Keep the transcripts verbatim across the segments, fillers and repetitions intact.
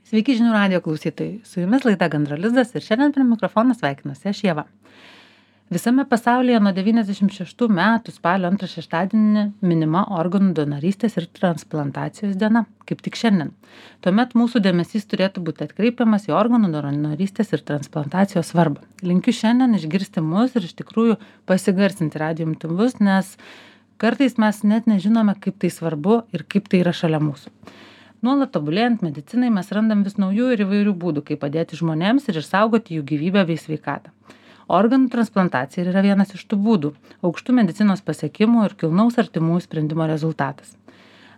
Sveiki žinių radijo klausytojai. Su jumis laida Gandro lizdas ir šiandien prie mikrofono sveikinuosi aš Ieva. Visame pasaulyje nuo devyniasdešimt šeštų metų spalio antrą šeštadienį minima organų donorystės ir transplantacijos diena, kaip tik šiandien. Tuomet mūsų dėmesys turėtų būti atkreipiamas į organų donorystės ir transplantacijos svarbą. Linkiu šiandien išgirsti mus ir iš tikrųjų pasigarsinti radijo imtuvus, nes kartais mes net nežinome, kaip tai svarbu ir kaip tai yra šalia mūsų. Nuolat tobulėjant medicinai mes randam vis naujų ir įvairių būdų, kaip padėti žmonėms ir išsaugoti jų gyvybę bei sveikatą. Organų transplantacija yra vienas iš tų būdų, aukštų medicinos pasiekimų ir kilnaus artimųjų sprendimo rezultatas.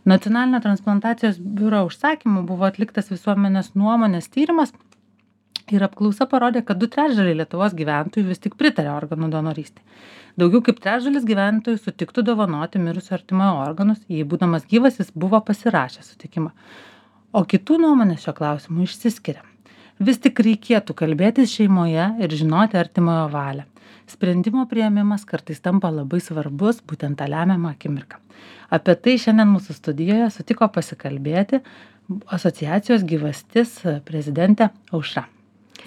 Nacionalinio transplantacijos biuro užsakymu buvo atliktas visuomenės nuomonės tyrimas ir apklausa parodė, kad du trečdaliai Lietuvos gyventojų vis tik pritarė organų donorystei. Daugiau kaip trečdalis gyventojų sutiktų dovanoti mirusio artimojo organus, jei būdamas gyvas jis buvo pasirašęs sutikimą. O kitų nuomonės šio klausimu išsiskiria. Vis tik reikėtų kalbėtis šeimoje ir žinoti artimojo valią. Sprendimo priėmimas kartais tampa labai svarbus, būtent tą lemiamą akimirką. Apie tai šiandien mūsų studijoje sutiko pasikalbėti asociacijos Gyvastis prezidentė Aušra.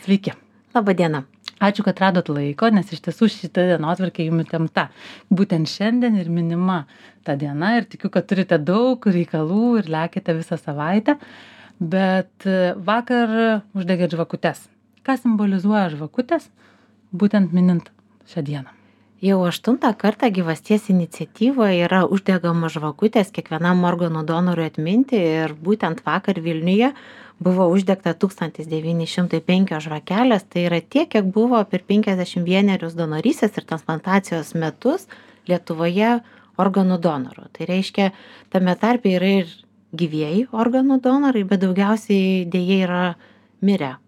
Sveiki. Labą dieną. Ačiū, kad radot laiko, nes iš tiesų šita dienotvarkė jums įtempta. Būtent šiandien ir minima ta diena ir tikiu, kad turite daug reikalų ir lekite visą savaitę. Bet vakar uždegėt žvakutes. Ką simbolizuoja žvakutės, būtent minint šią dieną? Jau aštuntą kartą Gyvasties iniciatyvoje yra uždegamos žvakutės kiekvienam organų donorui atminti ir būtent vakar Vilniuje buvo uždegta tūkstantis devyni šimtai penkios žvakelės, tai yra tiek, kiek buvo per penkiasdešimt vienerius donorystės ir transplantacijos metus Lietuvoje organų donorų. Tai reiškia, tame tarpe yra ir gyvieji organų donorai, bet daugiausiai dėja yra mirę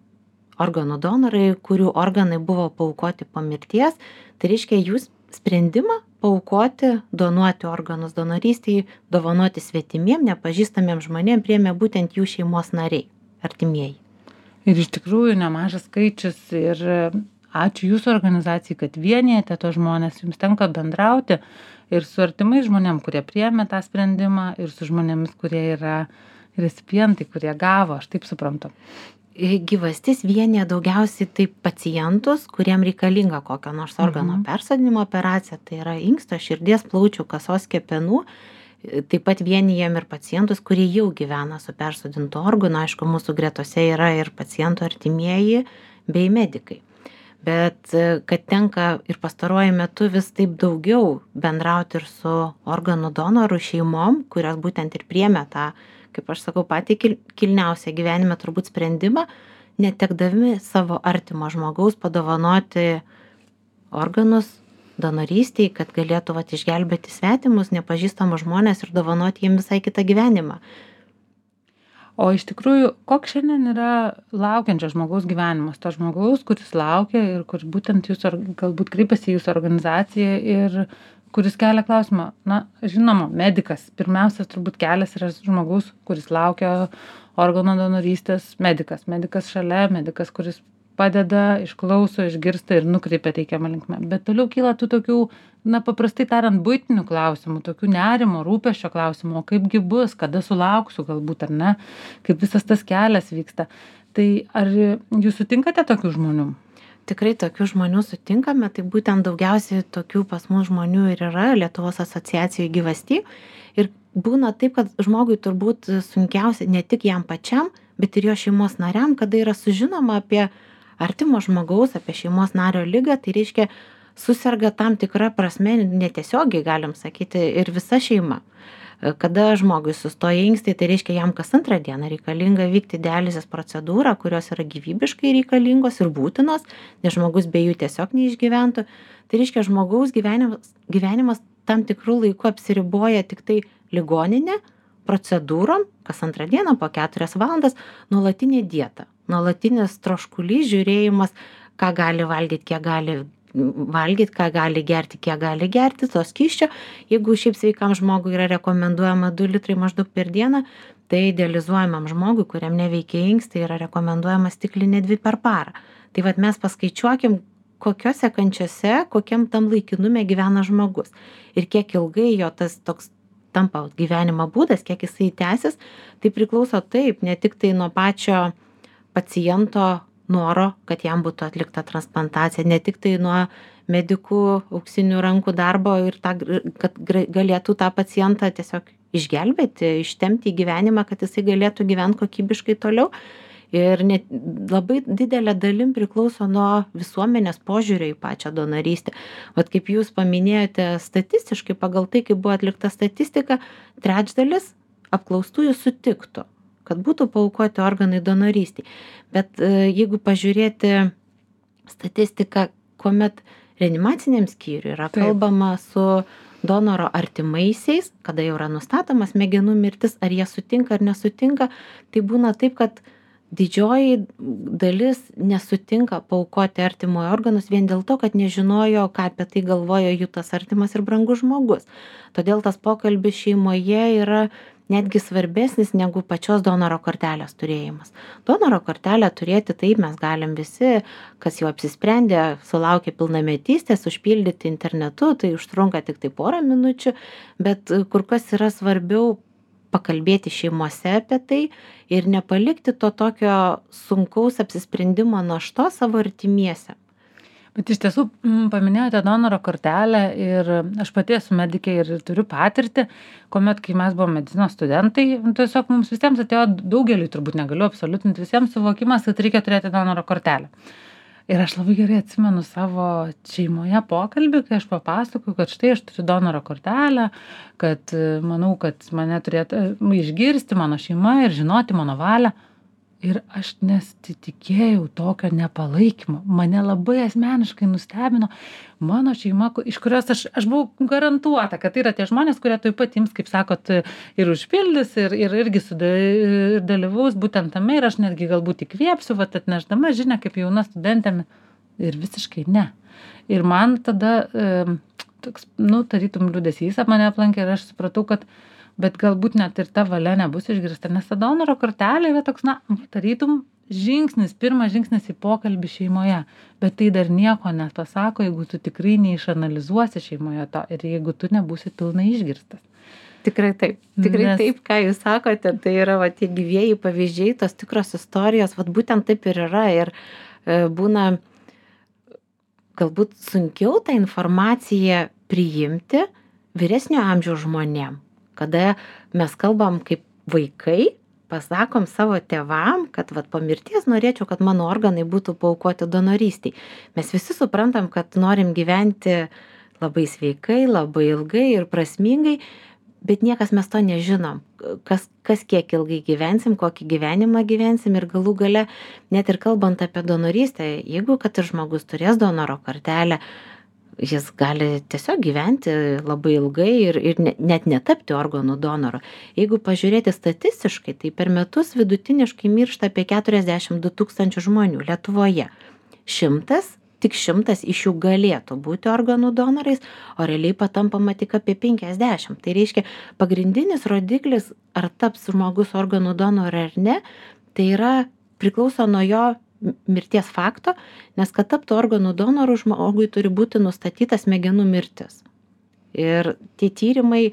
organų donorai, kurių organai buvo paaukoti po mirties. Tai reiškia, jūs sprendimą paaukoti, donuoti organus donorystei, dovanoti svetimiem, nepažįstamiem žmonėm priėmė būtent jų šeimos nariai, artimieji. Ir iš tikrųjų nemažas skaičius ir ačiū jūsų organizacijai, kad vienijate tos žmonės, jums tenka bendrauti ir su artimais žmonėm, kurie priėmė tą sprendimą ir su žmonėmis, kurie yra recipientai, kurie gavo, aš taip suprantu. Gyvastis vienija daugiausiai taip pacientus, kuriem reikalinga kokio nors organo mhm. persodinimo operacija, tai yra inksto, širdies, plaučių, kasos, kepenų. Taip pat vienijam ir pacientus, kurie jau gyvena su persodintu organu. Aišku, mūsų gretose yra ir pacientų artimieji bei medikai. Bet kad tenka ir pastaruoju metu vis taip daugiau bendrauti ir su organų donorų šeimom, kurios būtent ir priėmė tą, kaip aš sakau, patį kilniausią gyvenime turbūt sprendimą, netekdami savo artimo žmogaus padovanoti organus donorystei, kad galėtų vat, išgelbėti svetimus, nepažįstamus žmonės ir dovanoti jiems visai kitą gyvenimą. O iš tikrųjų, koks šiandien yra laukiančio žmogaus gyvenimas? To žmogaus, kuris laukia ir kuris būtent jūs galbūt kreipiasi į jūsų organizaciją ir kuris kelia klausimą. Na, žinoma, medikas. Pirmiausias turbūt kelias yra žmogaus, kuris laukia organo donorystės, medikas. Medikas šalia, medikas, kuris padeda, išklauso, išgirsta ir nukreipia teikiamą linkmę. Bet toliau kyla tų tokių, na, paprastai tariant, buitinių klausimų, tokių nerimo, rūpesčio klausimų, o kaipgi bus, kada sulauksiu galbūt ar ne, kaip visas tas kelias vyksta. Tai ar jūs sutinkate tokių žmonių? Tikrai tokių žmonių sutinkame, tai būtent daugiausiai tokių pas mus žmonių ir yra Lietuvos asociacijai Gyvasty. Ir būna taip, kad žmogui turbūt sunkiausia ne tik jam pačiam, bet ir jo šeimos nariam, kada yra sužinoma apie artimo žmogaus, apie šeimos nario ligą, tai reiškia suserga tam tikrą prasme, netiesiogiai galim sakyti, ir visa šeima. Kada žmogui sustoja inkstai, tai reiškia jam kas antrą dieną reikalinga vykti dializės procedūrą, kurios yra gyvybiškai reikalingos ir būtinos, nes žmogus be jų tiesiog neišgyventų. Tai reiškia žmogaus gyvenimas, gyvenimas tam tikrų laikų apsiriboja tik tai ligoninė, procedūrom, kas antrą dieną po keturias valandas, nuolatinė dieta, nuolatinis troškulys, žiūrėjimas, ką gali valgyti, kiek gali valgyti, ką gali gerti, kiek gali gerti, to skysčio. Jeigu šiaip sveikam žmogui yra rekomenduojama du litrai maždaug per dieną, tai dializuojamam žmogui, kuriam neveikia inkstai, yra rekomenduojama stiklinė dvi per parą. Tai vat mes paskaičiuokim, kokiose kančiose, kokiam tam laikinume gyvena žmogus. Ir kiek ilgai jo tas toks tampa gyvenimo būdas, kiek jisai tęsis, tai priklauso taip, ne tik tai nuo pačio paciento noro, kad jam būtų atlikta transplantacija, ne tik tai nuo medikų auksinių rankų darbo ir tą, kad galėtų tą pacientą tiesiog išgelbėti, ištempti į gyvenimą, kad jisai galėtų gyventi kokybiškai toliau. Ir net labai didelė dalim priklauso nuo visuomenės požiūrio į pačią donorystę. Vat kaip jūs paminėjote statistiškai, pagal tai, kaip buvo atlikta statistika, trečdalis apklaustųjų sutiktų, kad būtų paaukoti organai donorystei. Bet jeigu pažiūrėti statistiką, kuomet reanimaciniam skyriui yra kalbama su donoro artimaisiais, kada jau yra nustatoma smegenų mirtis, ar jie sutinka ar nesutinka, tai būna taip, kad didžioji dalis nesutinka paaukoti artimojo organus vien dėl to, kad nežinojo, ką apie tai galvoja jų tas artimas ir brangus žmogus. Todėl tas pokalbis šeimoje yra netgi svarbesnis negu pačios donoro kortelės turėjimas. Donoro kortelę turėti taip mes galim visi, kas jau apsisprendė, sulaukė pilnametystės, užpildyti internetu, tai užtrunka tik tai porą minučių, bet kur kas yra svarbiau pakalbėti šeimose apie tai ir nepalikti to tokio sunkaus apsisprendimo naštos savo artimiesiem. Bet iš tiesų paminėjote donoro kortelę ir aš pati esu medikė ir turiu patirtį, kuomet, kai mes buvome medicinos studentai, tiesiog mums visiems atėjo, daugeliui turbūt negaliu absoliutinti, visiems suvokimas, kad reikia turėti donoro kortelę. Ir aš labai gerai atsimenu savo šeimoje pokalbį, kai aš papasakoju, kad štai aš turiu donoro kortelę, kad manau, kad mane turėtų išgirsti mano šeima ir žinoti mano valią. Ir aš nesitikėjau tokio nepalaikymo. Mane labai asmeniškai nustebino mano šeima, iš kurios aš, aš buvau garantuota, kad tai yra tie žmonės, kurie tuoj pat ims, kaip sakot, ir užpildys, ir, ir irgi sudalyvaus būtent tame, ir aš netgi galbūt įkvėpsiu, vat atnešdama žinią kaip jauna studentėmi. Ir visiškai ne. Ir man tada, e, toks, nu, tarytum liūdesys ap mane aplankė ir aš supratau, kad bet galbūt net ir ta valia nebus išgirsta, nes ta donoro kortelė yra toks, na, tarytum žingsnis, pirmas žingsnis į pokalbį šeimoje, bet tai dar nieko nepasako, jeigu tu tikrai neišanalizuosi šeimoje to ir jeigu tu nebūsi pilnai išgirstas. Tikrai taip, tikrai Nes... taip, ką jūs sakote, tai yra va, tie gyvieji pavyzdžiai, tos tikros istorijos, va, būtent taip ir yra ir e, būna galbūt sunkiau tą informaciją priimti vyresnio amžiaus žmonėm. Kada mes kalbam kaip vaikai, pasakom savo tėvam, kad vat, po mirties norėčiau, kad mano organai būtų paaukoti donorystiai. Mes visi suprantam, kad norim gyventi labai sveikai, labai ilgai ir prasmingai, bet niekas mes to nežinom. Kas, kas kiek ilgai gyvensim, kokį gyvenimą gyvensim ir galų gale, net ir kalbant apie donorystę, jeigu kad ir žmogus turės donoro kortelę, jis gali tiesiog gyventi labai ilgai ir, ir net netapti organų donoru. Jeigu pažiūrėti statistiškai, tai per metus vidutiniškai miršta apie keturiasdešimt du tūkstančių žmonių Lietuvoje. Šimtas, tik šimtas iš jų galėtų būti organų donorais, o realiai patampama tik apie penkiasdešimt. Tai reiškia, pagrindinis rodiklis, ar taps žmogus organų donoru ar ne, tai yra priklauso nuo jo mirties fakto, nes kad taptų organų donorų žmogui turi būti nustatyta smegenų mirtis. Ir tie tyrimai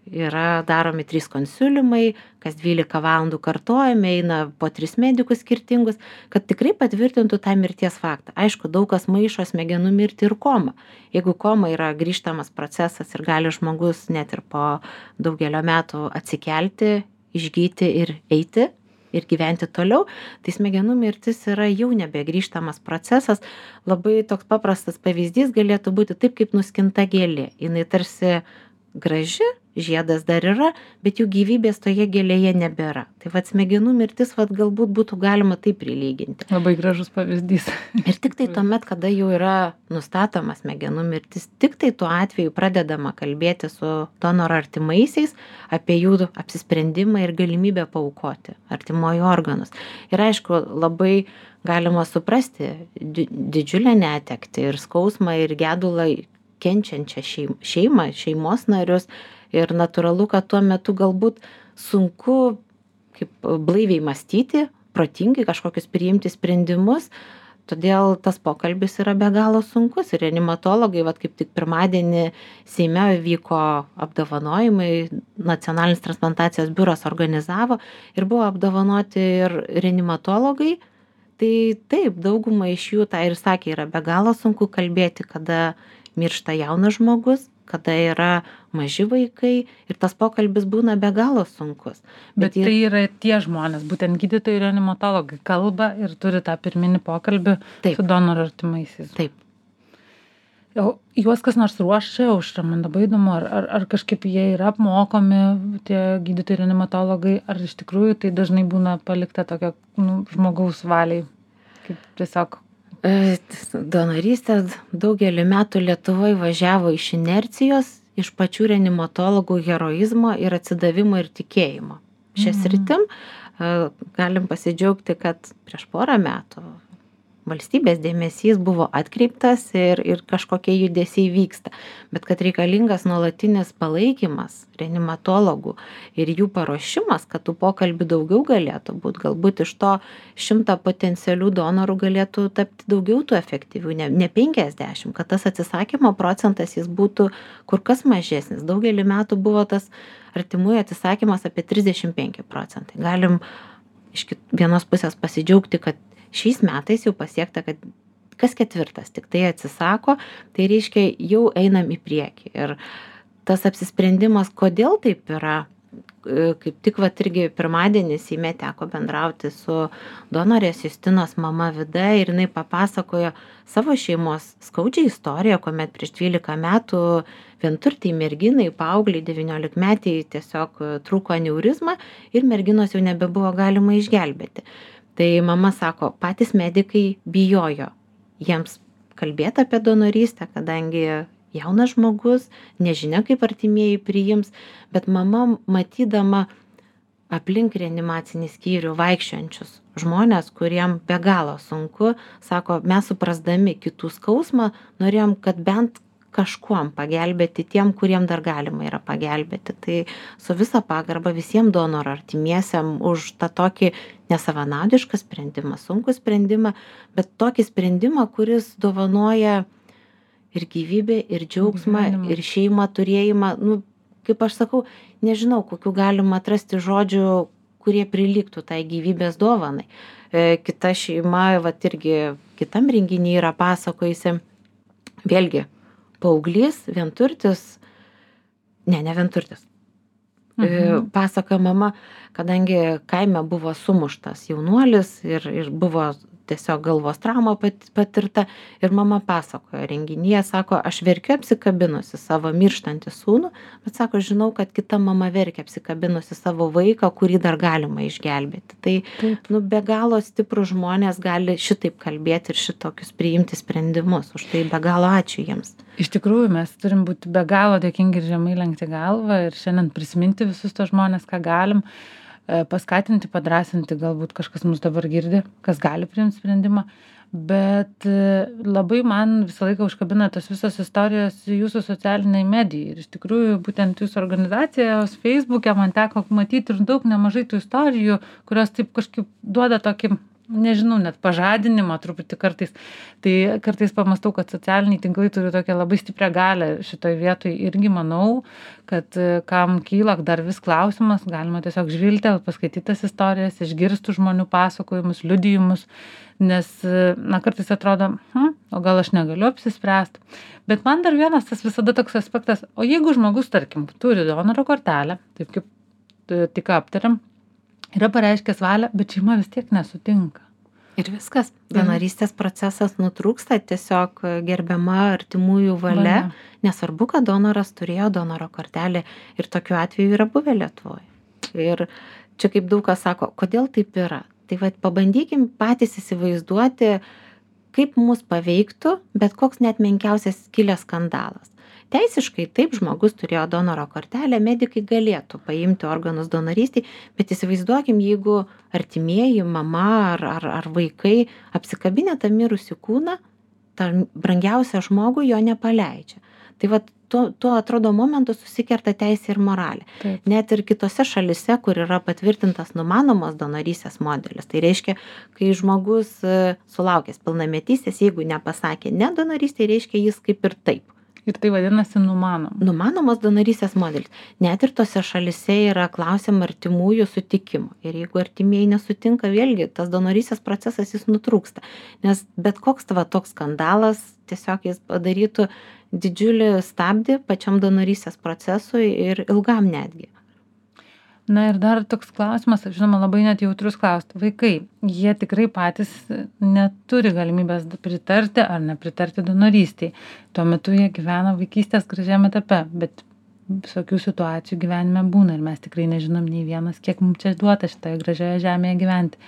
yra daromi trys konsiliumai, kas dvylika valandų kartojami, eina po tris medikus skirtingus, kad tikrai patvirtintų tą mirties faktą. Aišku, daug kas maišo smegenų mirtį ir komą. Jeigu koma yra grįžtamas procesas ir gali žmogus net ir po daugelio metų atsikelti, išgyti ir eiti, ir gyventi toliau, tai smegenų mirtis yra jau nebegrįžtamas procesas. Labai toks paprastas pavyzdys galėtų būti taip, kaip nuskinta gėlė. Jinai tarsi graži, žiedas dar yra, bet jų gyvybės toje gėlėje nebėra. Tai vat smegenų mirtis vat galbūt būtų galima taip prilyginti. Labai gražus pavyzdys. Ir tik tai tuomet, kada jau yra nustatoma smegenų mirtis, tik tai tuo atveju pradedama kalbėti su donoro artimaisiais apie jų apsisprendimą ir galimybę paaukoti artimojų organus. Ir aišku, labai galima suprasti didžiulę netektį ir skausmą ir gedulą kenčiančią šeimą, šeimos narius. Ir natūralu, kad tuo metu galbūt sunku kaip blaiviai mąstyti, protingai kažkokius priimti sprendimus, todėl tas pokalbis yra be galo sunkus ir reanimatologai, vat kaip tik pirmadienį Seime vyko apdovanojimai, Nacionalinis transplantacijos biuras organizavo ir buvo apdovanoti ir reanimatologai. Tai taip, dauguma iš jų tą ir sakė, yra be galo sunku kalbėti, kada miršta jaunas žmogus, kada yra maži vaikai ir tas pokalbis būna be galo sunkus. Bet, Bet tai yra tie žmonės, būtent gydytojai ir reanimatologai kalba ir turi tą pirminį pokalbį taip. Su donorų artimaisiais. Taip. O juos kas nors ruošia, Aušra, man labai įdomu, ar, ar, ar kažkaip jie yra apmokomi, tie gydytojai reanimatologai, ar iš tikrųjų tai dažnai būna palikta tokio nu, žmogaus valiai, kaip tiesiog. Donorystė daugelį metų Lietuvoje važiavo iš inercijos, iš pačių reanimatologų heroizmo ir atsidavimo ir tikėjimo. Šią sritim galim pasidžiaugti, kad prieš porą metų valstybės dėmesys buvo atkreiptas ir, ir kažkokie judesiai vyksta, bet kad reikalingas nuolatinis palaikymas reanimatologų ir jų paruošimas, kad tų pokalbių daugiau galėtų būti, galbūt iš to šimto potencialių donorų galėtų tapti daugiau tų efektyvių, ne, ne penkiasdešimt, kad tas atsisakymo procentas jis būtų kur kas mažesnis. Daugelį metų buvo tas artimųjų atsisakymas apie trisdešimt penki procentai. Galim iš vienos pusės pasidžiaugti, kad šiais metais jau pasiekta, kad kas ketvirtas tik tai atsisako, tai reiškia jau einam į priekį. Ir tas apsisprendimas, kodėl taip yra, kaip tik vat irgi pirmadienį Seime teko bendrauti su donorės Justinos mama Vida ir jinai papasakojo savo šeimos skaudžią istoriją, kuomet prieš dvylika metų vienturtei merginai, paaugliai, devyniolikmetei tiesiog trūko aneurizma ir merginos jau nebebuvo galima išgelbėti. Tai mama sako, patys medikai bijojo jiems kalbėti apie donorystę, kadangi jaunas žmogus, nežinia kaip artimieji priims, bet mama matydama aplink reanimacinį skyrių vaikščiojančius žmonės, kuriem be galo sunku, sako, mes suprasdami kitų skausmą, norėjom, kad bent kažkuom pagelbėti tiem, kuriem dar galima yra pagelbėti. Tai su visa pagarba visiems donorų artimiesiam už tą tokį nesavanaudišką sprendimą, sunkų sprendimą, bet tokį sprendimą, kuris dovanoja ir gyvybę, ir džiaugsmą, Gyvenimą. Ir šeimą turėjimą. Nu, kaip aš sakau, nežinau, kokiu galima atrasti žodžių, kurie prilygtų tai gyvybės dovanai. E, kita šeima, vat irgi kitam renginyje yra pasakojusi, vėlgi, paauglys, vienturtis, ne, ne vienturtis. Mhm. Pasakoja mama, kadangi kaime buvo sumuštas jaunuolis ir, ir buvo tiesiog galvos trauma patirta ir mama pasakojo renginyje, sako, aš verkiu apsikabinusi savo mirštantį sūnų, bet sako, žinau, kad kita mama verkia apsikabinusi savo vaiką, kurį dar galima išgelbėti. Tai Taip. nu, be galo stiprus žmonės gali šitaip kalbėti ir šitokius priimti sprendimus. Už tai be galo ačiū jiems. Iš tikrųjų, mes turim būti be galo dėkingi ir žemai lenkti galvą ir šiandien prisiminti visus tos žmonės, ką galim. Paskatinti, padrasinti, galbūt kažkas mus dabar girdi, kas gali priimti sprendimą, bet labai man visą laiką užkabina tos visos istorijos jūsų socialiniai medijai. Ir iš tikrųjų, būtent jūsų organizacijos Facebook'e man teko matyti ir daug nemažai tų istorijų, kurios taip kažkaip duoda tokį, nežinau, net pažadinimą truputį kartais. Tai kartais pamastau, kad socialiniai tinklai turi tokią labai stiprią galią šitoj vietoj. Irgi manau, kad kam kyla dar vis klausimas, galima tiesiog žvilgti, paskaityti tas istorijas, išgirstų žmonių pasakojimus, liudijimus, nes, na, kartais atrodo, hm, o gal aš negaliu apsispręsti. Bet man dar vienas tas visada toks aspektas, o jeigu žmogus, tarkim, turi donoro kortelę, taip kaip tik aptariam, yra pareiškęs valią, bet šeima vis tiek nesutinka. Ir viskas. Donorystės procesas nutrūksta, tiesiog gerbiama artimųjų valia, valia. Nesvarbu, kad donoras turėjo donoro kortelę ir tokiu atveju yra buvę Lietuvoje. Ir čia kaip daug kas sako, kodėl taip yra. Tai va, pabandykim patys įsivaizduoti, kaip mus paveiktų, bet koks net menkiausias kilęs skandalas. Teisiškai taip žmogus turėjo donoro kortelę, medikai galėtų paimti organus donorystiai, bet įsivaizduokim, jeigu artimieji, mama ar, ar, ar vaikai apsikabinę tą mirusį kūną, tą brangiausią žmogų jo nepaleidžia. Tai vat tuo, tuo atrodo momentu susikerta teisė ir moralė. Taip. Net ir kitose šalise, kur yra patvirtintas numanomos donorystės modelis. Tai reiškia, kai žmogus e, sulaukęs pilnametystės, jeigu nepasakė ne donorystė, reiškia jis kaip ir taip. Ir tai vadinasi numanom. Numanomos donorystės modelis. Net ir tose šalise yra klausiama artimųjų sutikimo. Ir jeigu artimieji nesutinka, vėlgi tas donorystės procesas jis nutrūksta. Nes bet koks tava toks skandalas tiesiog jis padarytų didžiulį stabdį pačiam donorystės procesui ir ilgam netgi. Na ir dar toks klausimas, žinoma, labai net jautrus klausti. Vaikai, jie tikrai patys neturi galimybės pritarti ar nepritarti donorystiai. Tuo metu jie gyvena vaikystės gražiame etape, bet visokių situacijų gyvenime būna ir mes tikrai nežinom nei vienas, kiek mums čia duota šitoje gražioje žemėje gyventi.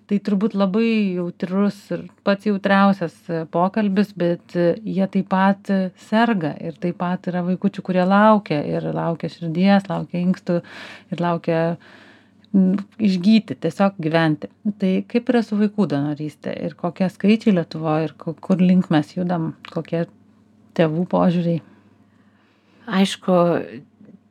Tai turbūt labai jautrus ir pats jautriausias pokalbis, bet jie taip pat serga ir taip pat yra vaikučių, kurie laukia ir laukia širdies, laukia inkstų ir laukia išgyti, tiesiog gyventi. Tai kaip yra su vaikų donorystė ir kokie skaičiai Lietuvoje ir kur link mes judam, kokie tėvų požiūriai? Aišku,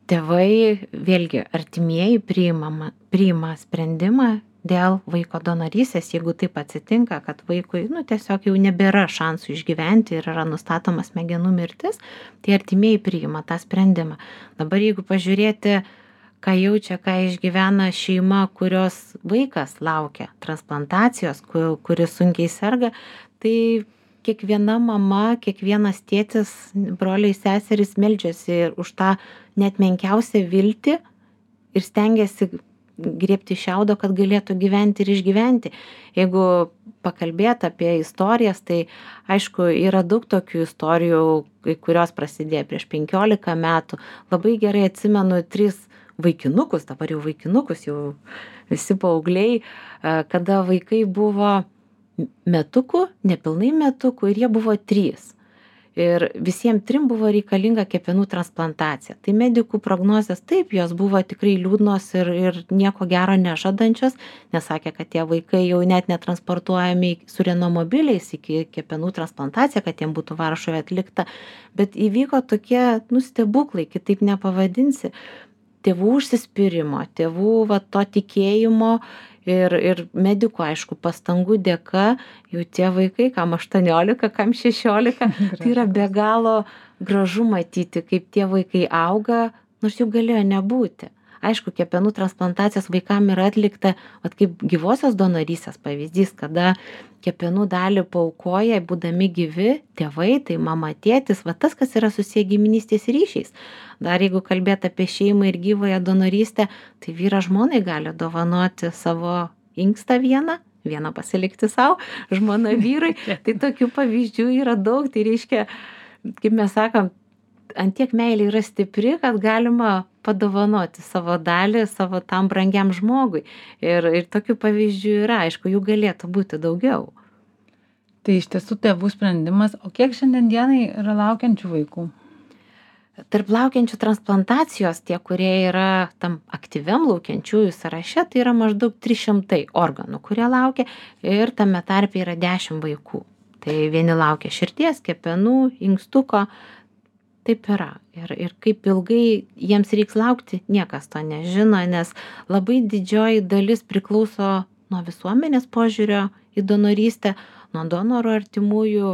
tėvai, vėlgi, artimieji priima, priima sprendimą dėl vaiko donorystės, jeigu taip atsitinka, kad vaikui, nu, tiesiog jau nebėra šansų išgyventi ir yra nustatoma smegenų mirtis, tai artimieji priima tą sprendimą. Dabar jeigu pažiūrėti, ką jaučia, ką išgyvena šeima, kurios vaikas laukia transplantacijos, kuris sunkiai serga, tai kiekviena mama, kiekvienas tėtis, broliai, seserys meldžiasi ir už tą net menkiausią viltį ir stengiasi griebti šiaudo, kad galėtų gyventi ir išgyventi. Jeigu pakalbėti apie istorijas, tai aišku, yra daug tokių istorijų, kurios prasidėjo prieš penkiolika metų. Labai gerai atsimenu tris vaikinukus, dabar jau vaikinukus, jau visi paaugliai, kada vaikai buvo metukų, nepilnai metukų ir jie buvo trys. Ir visiems trim buvo reikalinga kepenų transplantacija. Tai medikų prognozės taip, jos buvo tikrai liūdnos ir, ir nieko gero nežadančios, nes sakė, kad tie vaikai jau net netransportuojami su renomobiliais iki kepenų transplantaciją, kad jiem būtų Varšuvoje atlikta. Bet įvyko tokie, nu, stebuklai, kitaip nepavadinsi, tėvų užsispyrimo, tėvų va, to tikėjimo ir, ir medikų, aišku, pastangų dėka, jau tie vaikai, kam aštuoniolika, kam šešiolika, tai yra be galo gražu matyti, kaip tie vaikai auga, nors jų galėjo nebūti. Aišku, kepenų transplantacijos vaikam yra atlikta, vat kaip gyvosios donorystės pavyzdys, kada kepenų dalį paaukoja, būdami gyvi tėvai, tai mama, tėtis, va tas, kas yra susiję giminystės ryšiais. Dar jeigu kalbėt apie šeimą ir gyvąją donorystę, tai vyras žmonai gali dovanoti savo inkstą vieną, vieną pasilikti savo, žmona vyrui. Tai tokių pavyzdžių yra daug, tai reiškia, kaip mes sakom, ant tiek meilė yra stipri, kad galima padovanoti savo dalį savo tam brangiam žmogui. Ir, ir tokių pavyzdžių yra, aišku, jų galėtų būti daugiau. Tai iš tiesų tėvų sprendimas, o kiek šiandien dienai yra laukiančių vaikų? Tarp laukiančių transplantacijos, tie, kurie yra tam aktyviam laukiančiųjų sąraše, tai yra maždaug trys šimtai organų, kurie laukia ir tame tarpe yra dešimt vaikų. Tai vieni laukia širdies, kepenų, inkstuko. Taip yra. Ir, ir kaip ilgai jiems reiks laukti, niekas to nežino, nes labai didžioji dalis priklauso nuo visuomenės požiūrio į donorystę, nuo donorų artimųjų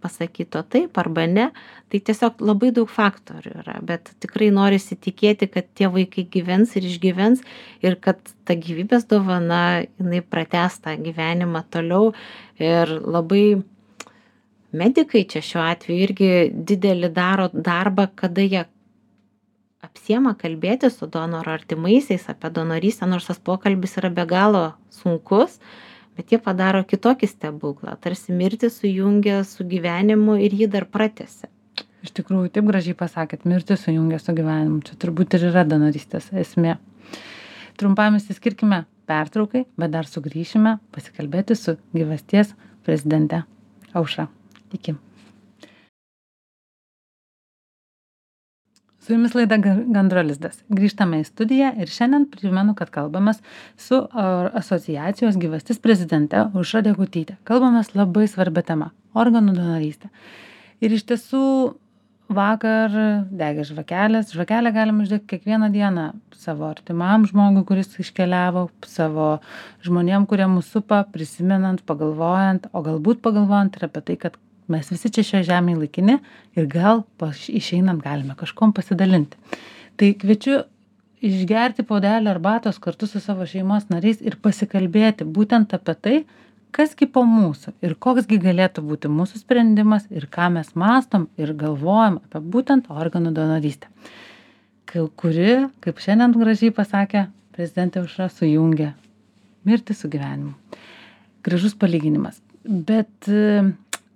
pasakyto taip arba ne. Tai tiesiog labai daug faktorių yra, bet tikrai norisi tikėti, kad tie vaikai gyvens ir išgyvens ir kad ta gyvybės dovana, jinai pratęs tą gyvenimą toliau ir labai medikai čia šiuo atveju irgi didelį daro darbą, kada jie apsiema kalbėti su donoro artimaisiais apie donorystę, nors tas pokalbis yra be galo sunkus, bet jie padaro kitokį stebuklą, tarsi mirtį sujungia su gyvenimu ir jį dar pratęsia. Iš tikrųjų, taip gražiai pasakėt, mirtį sujungia su gyvenimu, čia turbūt ir yra donorystės esmė. Trumpam įsiskirkime pertraukai, bet dar sugrįšime pasikalbėti su gyvasties prezidente Aušra. Iki. Su jumis laida Gandro lizdas. Grįžtame į studiją ir šiandien primenu, kad kalbamės su asociacijos gyvastis prezidente Aušra Degutyte. Kalbamės labai svarbia tema – organų donorystė. Ir iš tiesų vakar degė žvakelės. Žvakelę galime uždegti kiekvieną dieną savo artimam žmogui, kuris iškeliavo, savo žmonėm, kurie mus supa, prisimenant, pagalvojant, o galbūt pagalvojant ir apie tai, kad mes visi čia šioje žemėje laikini ir gal paš- išeinant galime kažkom pasidalinti. Tai kviečiu išgerti puodelį arbatos kartu su savo šeimos nariais ir pasikalbėti būtent apie tai, kasgi po mūsų ir koksgi galėtų būti mūsų sprendimas ir ką mes mastom ir galvojam apie būtent organų donorystę, Kai- kuri, kaip šiandien gražiai pasakė prezidentė Aušra, sujungia mirtį su gyvenimu. Gražus palyginimas. Bet e,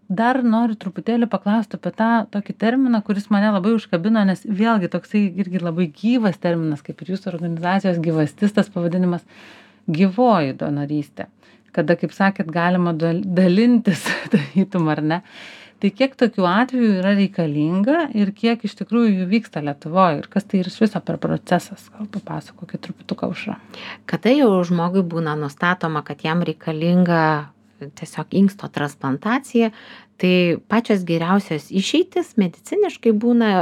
dar noriu truputėlį paklausti apie tą tokį terminą, kuris mane labai užkabino, nes vėlgi toksai irgi labai gyvas terminas, kaip ir jūsų organizacijos gyvastis, tas pavadinimas gyvoji donorystė. Kada, kaip sakėt, galima dal- dalintis, darytum ar ne. Tai kiek tokių atvejų yra reikalinga ir kiek iš tikrųjų jų vyksta Lietuvoje ir kas tai iš viso per procesas? Gal papasakokit truputuką, Aušra. Kada jau žmogui būna nustatoma, kad jam reikalinga tiesiog inksto transplantacija, tai pačios geriausios išeitis mediciniškai būna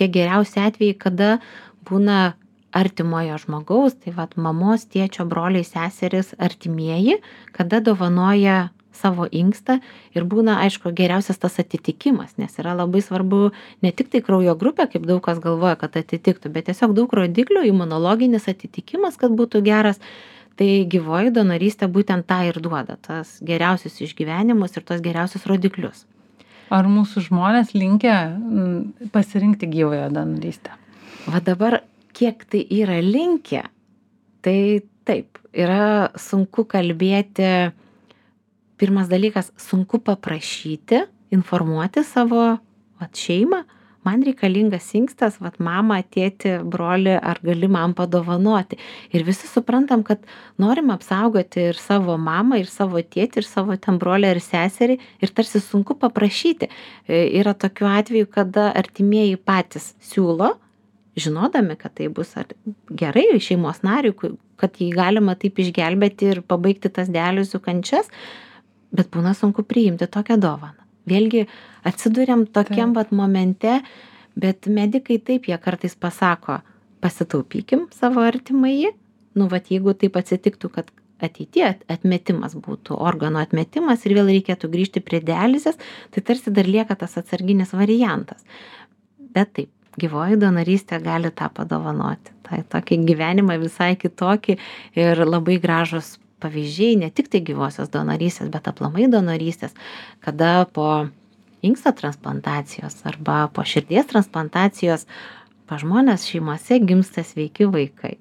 tie geriausi atvejai, kada būna artimojo žmogaus, tai vat mamos, tėčio, broliai, seserys, artimieji, kada dovanoja savo inkstą ir būna, aišku, geriausias tas atitikimas, nes yra labai svarbu ne tik tai kraujo grupė, kaip daug kas galvoja, kad atitiktų, bet tiesiog daug rodiklių, imunologinis atitikimas, kad būtų geras. Tai gyvoji donorystė būtent tą ir duoda, tas geriausius išgyvenimus ir tos geriausius rodiklius. Ar mūsų žmonės linkę mm, pasirinkti gyvąją donorystę? Va dabar, kiek tai yra linkę, tai taip, yra sunku kalbėti. Pirmas dalykas, sunku paprašyti, informuoti savo vat, šeimą. Man reikalingas inkstas, vat, mama, tėti, broli, ar gali man padovanoti. Ir visi suprantam, kad norim apsaugoti ir savo mamą, ir savo tėtį, ir savo ten brolį ir seserį. Ir tarsi sunku paprašyti. E, Yra tokių atvejų, kada artimieji patys siūlo, žinodami, kad tai bus ar gerai šeimos nariui, ku- kad jį galima taip išgelbėti ir pabaigti tas dializių kančias, bet būna sunku priimti tokią dovaną. Vėlgi atsiduriam tokiam Taip. vat momente, bet medikai taip, jie kartais pasako, pasitaupykim savo artimąjį, nu vat jeigu taip atsitiktų, kad ateityje atmetimas būtų, organo atmetimas ir vėl reikėtų grįžti prie dializės, tai tarsi dar lieka tas atsarginis variantas. Bet taip, gyvoji donorystė gali tą padovanoti. Tai tokį gyvenimą visai kitokį ir labai gražus pavyzdžiai, ne tik tai gyvosios donorystės, bet aplamai donorystės, kada po inksto transplantacijos arba po širdies transplantacijos pas žmonės šeimose gimsta sveiki vaikai.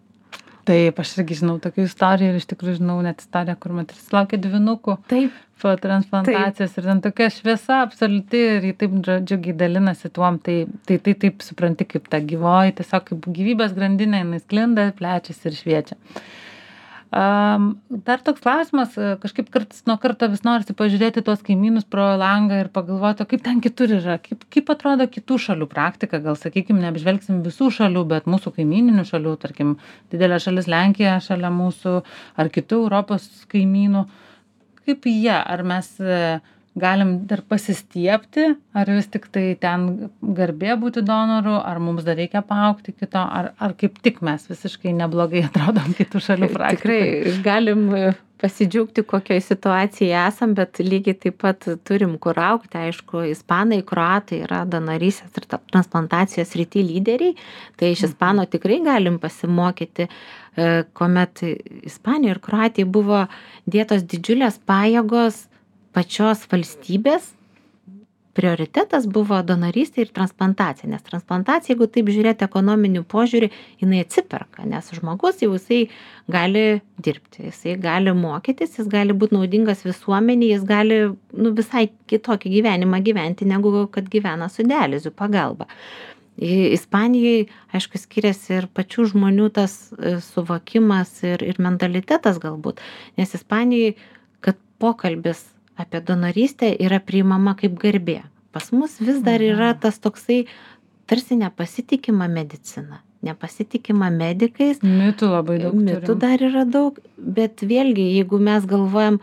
Taip, aš irgi žinau tokių istorijų ir iš tikrųjų žinau net istoriją, kur moteris laukė dvynukų Taip, po transplantacijos ir ten tokia šviesa absoliuti ir jį taip dža- džiugiai dalinasi tuom, tai, tai, tai taip supranti kaip ta gyvoji, tiesiog kaip gyvybės grandinė, jinai sklinda, plečiasi ir šviečia. Um, dar toks klausimas, e, kažkaip kartais nuo karto vis norisi pažiūrėti tuos kaimynus pro langą ir pagalvoti, o kaip ten kitur yra, kaip, kaip atrodo kitų šalių praktika, gal sakykime, neapžvelgsim visų šalių, bet mūsų kaimininių šalių, tarkim, didelė šalis Lenkija šalia mūsų ar kitų Europos kaimynų, kaip jie, ar mes e, galim dar pasistiebti, ar vis tik tai ten garbė būti donoru, ar mums dar reikia paaugti kito, ar, ar kaip tik mes visiškai neblogai atrodom kitų šalių praktikoje. tikrai galim pasidžiaugti, kokioje situacijoje esam, bet lygiai taip pat turim kur augti. Aišku, ispanai, kroatai yra donorystės ir ta- transplantacijos srity lyderiai, tai iš ispano tikrai galim pasimokyti, e, kuomet Ispanija ir Kroatija buvo dėtos didžiulės pajėgos pačios valstybės. Prioritetas buvo donorystė ir transplantacija, nes transplantacija, jeigu taip žiūrėti ekonominių požiūrį, jinai atsiperka, nes žmogus jau jisai gali dirbti, jisai gali mokytis, jis gali būti naudingas visuomeniai, jis gali nu, visai kitokį gyvenimą gyventi, negu kad gyvena su dializių pagalba. I- Ispanijai, aišku, skiriasi ir pačių žmonių tas e, suvokimas ir, ir mentalitetas galbūt, nes Ispanijai, kad pokalbis apie donorystę yra priimama kaip garbė. Pas mus vis dar yra tas toksai tarsi nepasitikima medicina, nepasitikima medikais. Mitų labai daug. Mitų turim. dar yra daug, bet vėlgi, jeigu mes galvojam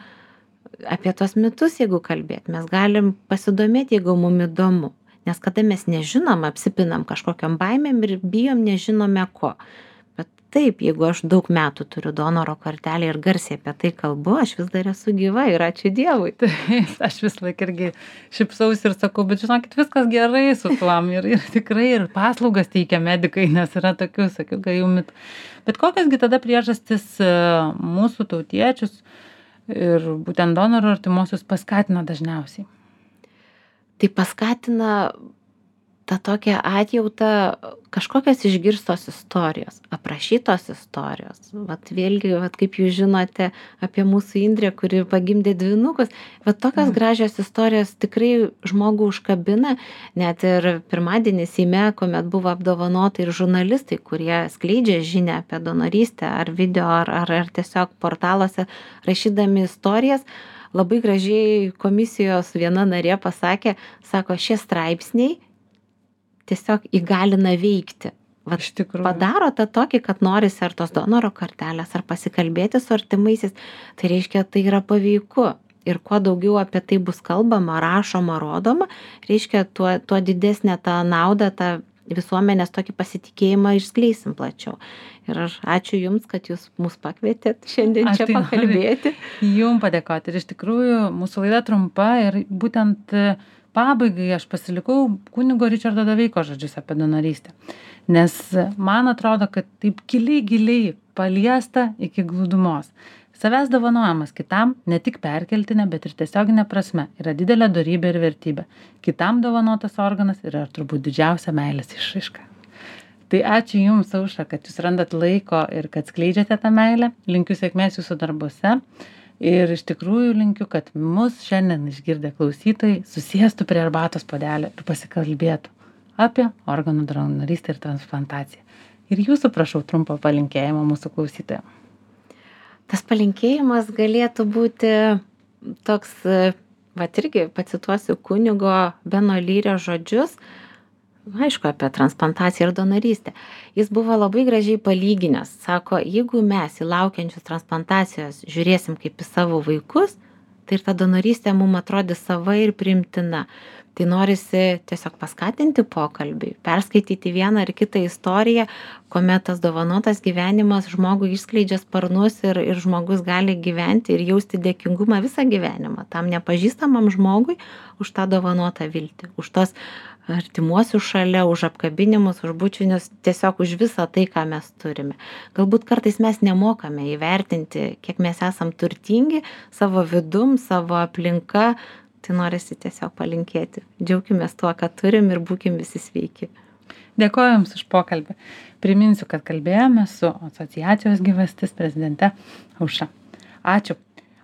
apie tos mitus, jeigu kalbėt, mes galim pasidomėti, jeigu mum įdomu. Nes kada mes nežinom, apsipinam kažkokiam baimėm ir bijom nežinome ko. Bet taip, jeigu aš daug metų turiu donoro kortelę ir garsiai apie tai kalbu, aš vis dar esu gyva ir ačiū Dievui. Taip, aš vis laik irgi šipsausi ir sakau, bet žinokit, viskas gerai su tuom ir, ir tikrai ir paslaugas teikia medikai, nes yra tokių, sakiau, gajų mitų. Bet kokiasgi tada priežastis mūsų tautiečius ir būtent donorų artimuosius paskatina dažniausiai? Tai paskatina tą tokią atjautą, kažkokios išgirstos istorijos, aprašytos istorijos. Vat vėlgi, vat kaip jūs žinote apie mūsų Indrę, kuri pagimdė dvynukus, vat tokios gražios istorijos tikrai žmogų užkabina. Net ir pirmadienį Seime, kuomet buvo apdovanota ir žurnalistai, kurie skleidžia žinią apie donorystę ar video, ar, ar, ar tiesiog portaluose rašydami istorijas, labai gražiai komisijos viena narė pasakė, sako, šie straipsniai tiesiog įgalina veikti. Vat Iš tikrųjų. Padaro tą tokį, kad norisi ar tos donoro kortelės, ar pasikalbėti su artimaisiais. Tai reiškia, tai yra paveiku. Ir kuo daugiau apie tai bus kalbama, rašoma, rodoma, reiškia, tuo, tuo didesnė ta nauda, ta visuomenės tokį pasitikėjimą išskleisim plačiau. Ir aš ačiū Jums, kad Jūs mus pakvietėt šiandien Aš čia tai pakalbėti. Jums padėkoti. Ir iš tikrųjų mūsų laida trumpa ir būtent pabaigai aš pasilikau kunigo Ričardo Doveiko žodžius apie donorystę. Nes man atrodo, kad taip giliai, giliai paliesta iki glūdumos. Savęs dovanojimas kitam ne tik perkeltinė, bet ir tiesioginė prasme yra didelė dorybė ir vertybė. Kitam dovanotas organas yra turbūt didžiausia meilės išraiška. Tai ačiū Jums, Aušra, kad Jūs randat laiko ir kad skleidžiate tą meilę. Linkiu sėkmės Jūsų darbuose. Ir iš tikrųjų linkiu, kad mus šiandien išgirdę klausytojai susėstų prie arbatos puodelio ir pasikalbėtų apie organų donorystę ir transplantaciją. Ir Jūsų prašau trumpo palinkėjimo mūsų klausytojams. Tas palinkėjimas galėtų būti toks, va irgi pacituosiu kunigo Beno Lyrio žodžius, aišku, apie transplantaciją ir donorystę. Jis buvo labai gražiai palyginęs. Sako, jeigu mes į laukiančius transplantacijos žiūrėsim kaip į savo vaikus, tai ir ta donorystė mums atrodys sava ir priimtina. Tai norisi tiesiog paskatinti pokalbį, perskaityti vieną ar kitą istoriją, kuomet tas dovanotas gyvenimas žmogui išskleidžia sparnus ir, ir žmogus gali gyventi ir jausti dėkingumą visą gyvenimą tam nepažįstamam žmogui už tą dovanotą viltį, už tos artimuosius šalia, už apkabinimus, už bučinius, tiesiog už visą tai, ką mes turime. Galbūt kartais mes nemokame įvertinti, kiek mes esam turtingi savo vidum, savo aplinka. Tai norisi tiesiog palinkėti. Džiaukimės tuo, ką turim ir būkim visi sveiki. Dėkoju Jums už pokalbį. Priminsiu, kad kalbėjome su asociacijos gyvastis prezidente Aušra. Ačiū.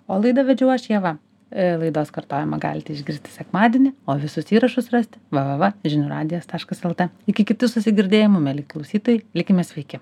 O laidą vedžiau aš Ieva. Laidos kartojimą galite išgirsti sekmadienį, o visus įrašus rasti w w w taškas žinių radijas taškas l t. Iki kitų susigirdėjimų, mieli klausytojai, likime sveiki.